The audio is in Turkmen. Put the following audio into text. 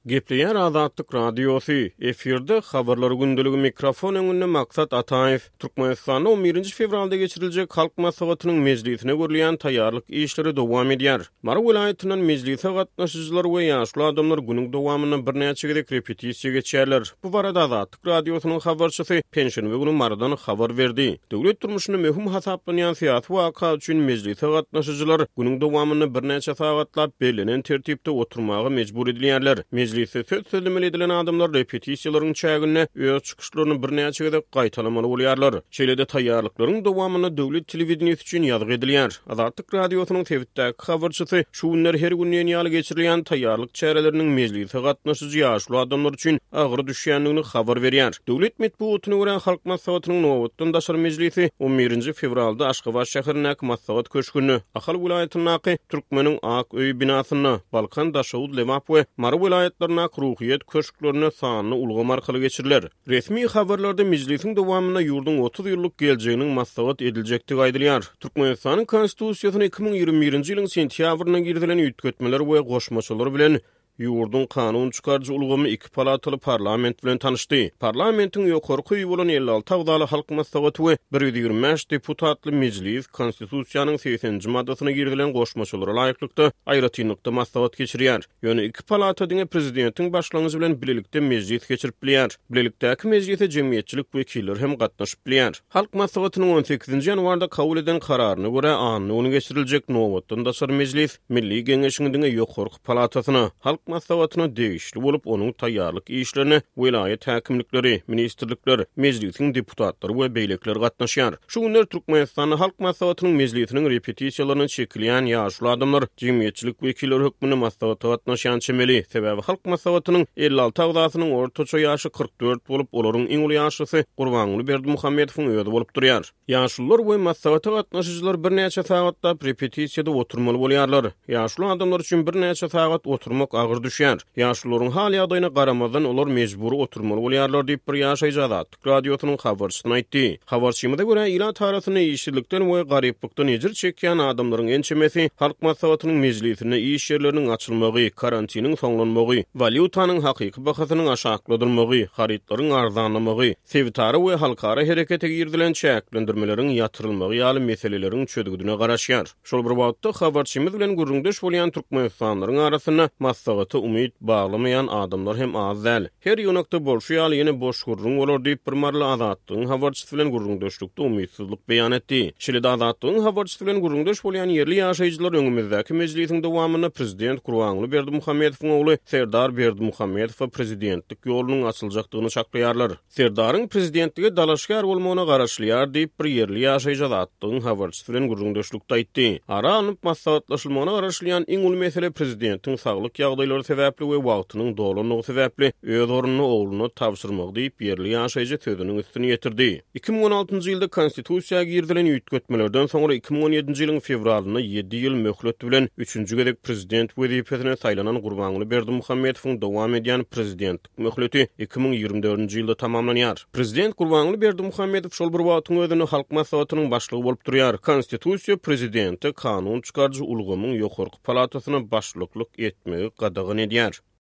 Gepleýär Azatlyk Radiosy, efirde Habarlar gündeligi mikrofon öňünde Maksat Ataýew. Türkmenistanda on birinji fewralda geçiriljek Halk Maslahatynyň mejlisine görülýän taýýarlyk işleri dowam edýär. Mary welaýatyndan mejlise gatnaşyjylar we ýaşuly adamlar günüň dowamynda birnäçe gezek repetisiýa geçýärler. Bu barada Azatlyk Radiosynyň habarçysy penşenbe güni Marydan habar berdi. Döwlet durmuşynda möhüm hasaplanýan syýasy waka üçin mejlise gatnaşyjylar günüň dowamynda birnäçe sagatlap bellenen tertipde oturmaga mejbur edilýärler. Mejlisde söz sözlemeli edilen adamlar repetisiýalaryň çäginde öz çykyşlaryny birnäçe gezek gaýtalamaly bolýarlar. Şeýle-de taýýarlyklaryň dowamynda döwlet telewideniýesi üçin ýazgy edilýär. Azatlyk Radiosynyň sebitdäki habarçysy şu günler her gün diýen ýaly geçirilýän taýýarlyk çäreleriniň mejlise gatnaşyjy ýaşuly adamlar üçin agyr düşýändigini habar berýär. Döwlet metbugatyna görä, Halk Maslahatynyň nobatdan daşary mejlisi on birinji fewralda Aşgabat şäherindäki Maslahat köşgünde, Ahal welaýatyndaky Türkmeniň ak öýi binasynda, Balkan, Daşoguz, Lebap we Mary welaýatlaryndaky Ruhyýet köşklerinde sanly ulgam arkaly geçiriler. Resmi habarlarda mejlisiň dowamynda ýurduň 30 ýyllyk geljeginiň maslahat ediljekdigi aýdylýar. Türkmenistanyň Konstitusiýasyna 2021-nji ýylyň sentýabrynda girizilen üýtgetmeler we goşmaçalar bilen ýurduň kanun çykaryjy ulgamy iki palataly parlament bilen tanyşdy. Parlamentiň ýokarky öýi bolan 56 agzaly Halk Maslahaty we 125 deputatly Mejlis Konstitusiýanyň 80-nji maddasyna girizilen goşmaçalara laýyklykda aýratynlykda maslahat geçirýär. Ýöne iki palata diňe prezidentiň başlangyjy bilen bilelikde mejlis geçirip bilýär. Bilelikdäki mejlise jemgyýetçilik wekilleri hem gatnaşyp bilýär. Halk Maslahatynyň on sekizinji ýanwarda kabul eden kararyna görä, anna güni geçiriljek nobatdan daşary mejlis Milli Geňeşiň diňe ýokarky palatasyna, Halk Maslahatyna degişli bolup, onuň taýýarlyk işlerine welaýat häkimlikleri, ministrlikler, Mejlisiň deputatlary we beýlekiler gatnaşýar. Şu günler Türkmenistanda Halk Maslahatynyň mejlisiniň repetisiýalaryna çekilýän ýaşuly adamlar jemgyýetçilik wekilleri hökmünde maslahata gatnaşýan çemeli. Sebäbi Halk Maslahatynyň 56 agzasynyň ortaça ýaşy 44 bolup, olaryň iň uly ýaşlysy Gurbanguly Berdimuhamedowyň özi bolup durýar. Ýaşulular we maslahata gatnaşyjylar birnäçe sagatlap repetisiýada oturmaly bolýarlar. Ýaşuly adamlar üçin birnäçe sagat oturmak agyr düşýär. Ýaşulularyň hal-ýagdaýyna garamazdan, olar mejbury oturmaly bolýarlar diýip, bir ýaşaýjy Azatlyk. Radiosynyň habarçysyna aýtdy. Habarçymyza görä, ilat arasynda işsizlikden we garyplykdan ejir çekýän adamlaryň ençemesi Halk Maslahatynyň mejlisinde iş ýerleriniň açylmagy, karantiniň soňlanmagy, walýutanyň hakyky bahasynyň aşakladylmagy, harytlaryň arzanlamagy, sebitara we halkara herekete girizilen çäklendirmeleriň ýatyrylmagy ýaly meseleleriň çözgüdine garaşýar. Şol bir wagtda, habarçymyz bilen gürrüňdeş bolýan türkmenistanlylaryň arasynda maslahata umyt baglamaýan adamlar hem az däl. Her ýygnakda bolşy ýaly, ýene boş gürrüň bolar diýip, bir maryly Azatlygyň habarçysy bilen gürrüňdeşlikde umytsyzlyk beýan etdi. Şeýle-de Azatlygyň habarçysy bilen gürrüňdeş bolýan ýerli ýaşaýjylar öňümizdäki mejlisiň dowamynda prezident Gurbanguly Berdimuhamedowyň ogly Serdar Berdimuhamedowa prezidentlik ýolunyň açyljakdygyny çaklaýarlar. Serdaryň prezidentlige dalaşgär bolmagyna garaşylýar diýip, bir ýerli ýaşaýjy Azatlygyň habarçysy bilen gürrüňdeşlikde aýtdy. Ara alnyp maslahatlaşylmagyna garaşylýan iň uly mesele prezidentiň saglyk ýagdaýlary sebäpli we wagtynyň dolandygy sebäpli öz ornuny ogluna tabşyrmagy diýip, ýerli ýaşaýjy sözüniň üstüni ýetirdi. 2016-njy ýylda Konstitusiýa girizilen üýtgetmelerden soňra 2017-nji ýylyň fewralynda ýedi ýyl möhlet bilen üçünji gezek prezident wezipesine saýlanan Gurbanguly Berdimuhamedowyň dowam edýän prezidentlik Möhleti 2024-nji ýylda tamamlanýar. Prezident Gurbanguly Berdimuhamedow şol bir wagtyň özünde Halk Maslahatynyň başlygy bolup durýar. Konstitusiýa prezidente kanun çykaryjy ulgamyň ýokarky palatasyna başlyklyk etmegi gadagan edýär.